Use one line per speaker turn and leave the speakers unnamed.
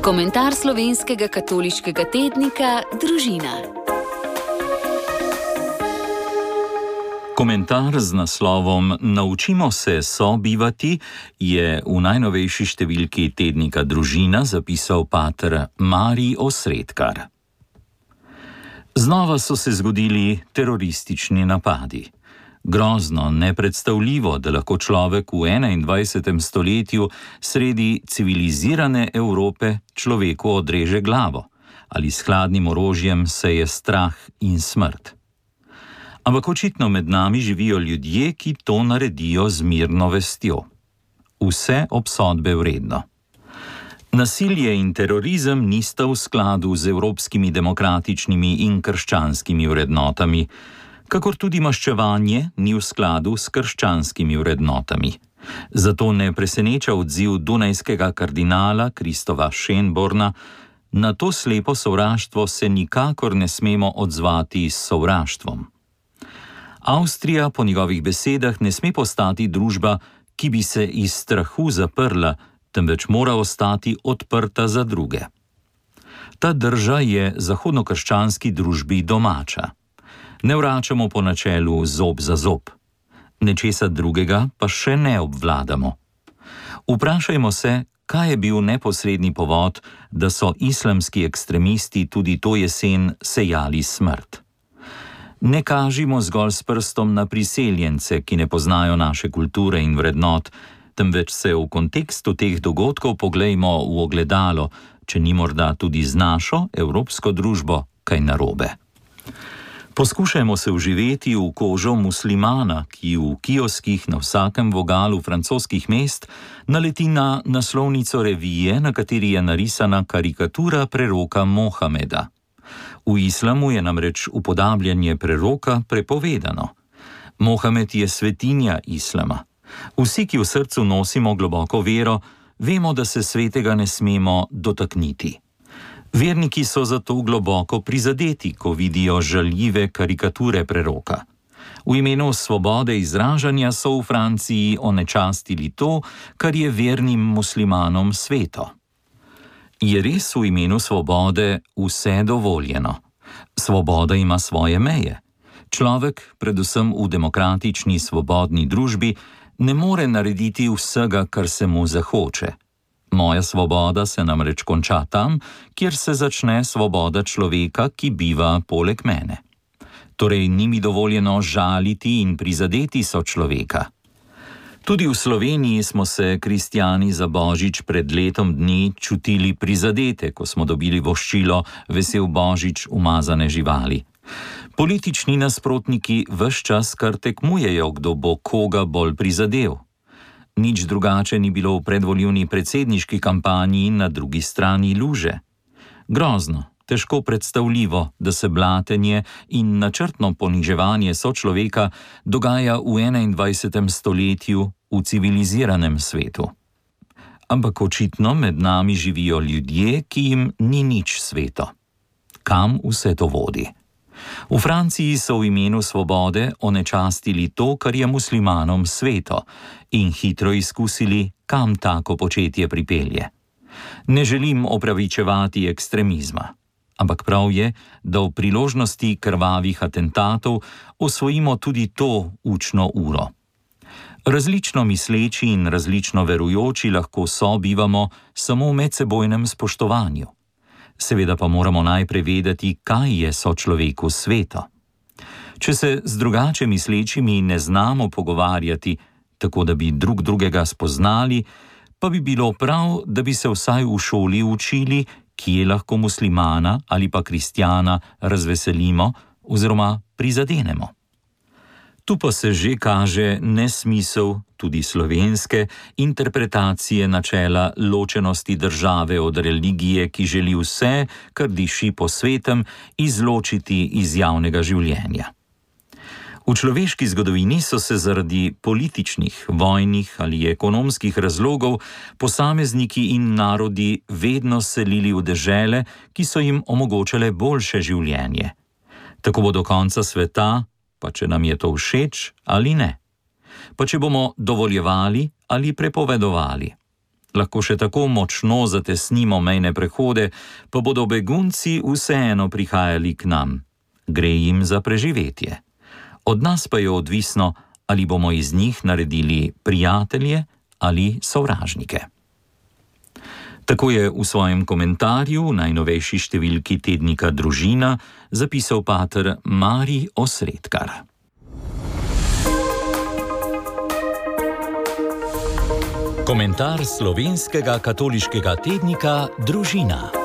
Komentar slovenskega katoliškega tednika Družina.
Komentar z naslovom Naučimo se sobivati je v najnovejši številki tednika Družina zapisal pater Marij Osredkar. Znova so se zgodili teroristični napadi. Grozno, nepredstavljivo, da lahko človek v 21. stoletju sredi civilizirane Evrope človeku odreže glavo ali s hladnim orožjem seje strah in smrt. Ampak očitno med nami živijo ljudje, ki to naredijo z mirno vestjo. Vse obsodbe vredno. Nasilje in terorizem nista v skladu z evropskimi demokratičnimi in krščanskimi vrednotami, kakor tudi maščevanje ni v skladu s krščanskimi vrednotami. Zato ne preseneča odziv dunajskega kardinala Kristova Schönborna: na to slepo sovraštvo se nikakor ne smemo odzvati s sovraštvom. Avstrija po njegovih besedah ne sme postati družba, ki bi se iz strahu zaprla, temveč mora ostati odprta za druge. Ta drža je zahodnokrščanski družbi domača. Ne vračamo po načelu zob za zob. Nečesa drugega pa še ne obvladamo. Vprašajmo se, kaj je bil neposredni povod, da so islamski ekstremisti tudi to jesen sejali smrt. Ne kažimo zgolj s prstom na priseljence, ki ne poznajo naše kulture in vrednot, temveč se v kontekstu teh dogodkov poglejmo v ogledalo, če ni morda tudi z našo evropsko družbo kaj narobe. Poskušajmo se vživeti v kožo muslimana, ki v kioskih na vsakem vogalu francoskih mest naleti na naslovnico revije, na kateri je narisana karikatura preroka Mohameda. V islamu je namreč upodabljanje preroka prepovedano. Mohamed je svetinja islama. Vsi, ki v srcu nosimo globoko vero, vemo, da se svetega ne smemo dotakniti. Verniki so zato globoko prizadeti, ko vidijo žaljive karikature preroka. V imenu svobode izražanja so v Franciji onečastili to, kar je vernim muslimanom sveto. Je res v imenu svobode vse dovoljeno? Svoboda ima svoje meje. Človek, predvsem v demokratični svobodni družbi, ne more narediti vsega, kar se mu zahoče. Moja svoboda se namreč konča tam, kjer se začne svoboda človeka, ki biva poleg mene. Torej ni mi dovoljeno žaliti in prizadeti sočloveka. Tudi v Sloveniji smo se kristjani za Božič pred letom dni čutili prizadete, ko smo dobili voščilo Vesel Božič umazane živali. Politični nasprotniki ves čas kar tekmujejo, kdo bo koga bolj prizadel. Nič drugače ni bilo v predvoljivni predsedniški kampanji in na drugi strani luže. Grozno, težko predstavljivo, da se blatenje in načrtno poniževanje sočloveka dogaja v 21. stoletju v civiliziranem svetu. Ampak očitno med nami živijo ljudje, ki jim ni nič sveto. Kam vse to vodi? V Franciji so v imenu svobode onečastili to, kar je muslimanom sveto, in hitro izkusili, kam tako početje pripelje. Ne želim opravičevati ekstremizma, ampak prav je, da v priložnosti krvavih atentatov osvojimo tudi to učno uro. Različno misleči in različno verujoči lahko sobivamo samo v medsebojnem spoštovanju. Seveda pa moramo najprej vedeti, kaj je sočloveku sveto. Če se z drugače mislečimi ne znamo pogovarjati, tako da bi drug drugega spoznali, pa bi bilo prav, da bi se vsaj v šoli učili, kje lahko muslimana ali pa kristjana razveselimo oziroma prizadenemo. Tu pa se že kaže nesmisel tudi slovenske interpretacije načela ločenosti države od religije, ki želi vse, kar diši po svetem, izločiti iz javnega življenja. V človeški zgodovini so se zaradi političnih, vojnih ali ekonomskih razlogov posamezniki in narodi vedno selili v dežele, ki so jim omogočale boljše življenje. Tako bo do konca sveta, pa če nam je to všeč ali ne. Pa če bomo dovoljevali ali prepovedovali. lahko še tako močno zatesnimo mejne prehode, pa bodo begunci vseeno prihajali k nam. Gre jim za preživetje. Od nas pa je odvisno, ali bomo iz njih naredili prijatelje ali sovražnike. Tako je v svojem komentarju v najnovejši številki tednika Družina zapisal pater Marij Osredkar. Komentar slovenskega katoliškega tednika Družina.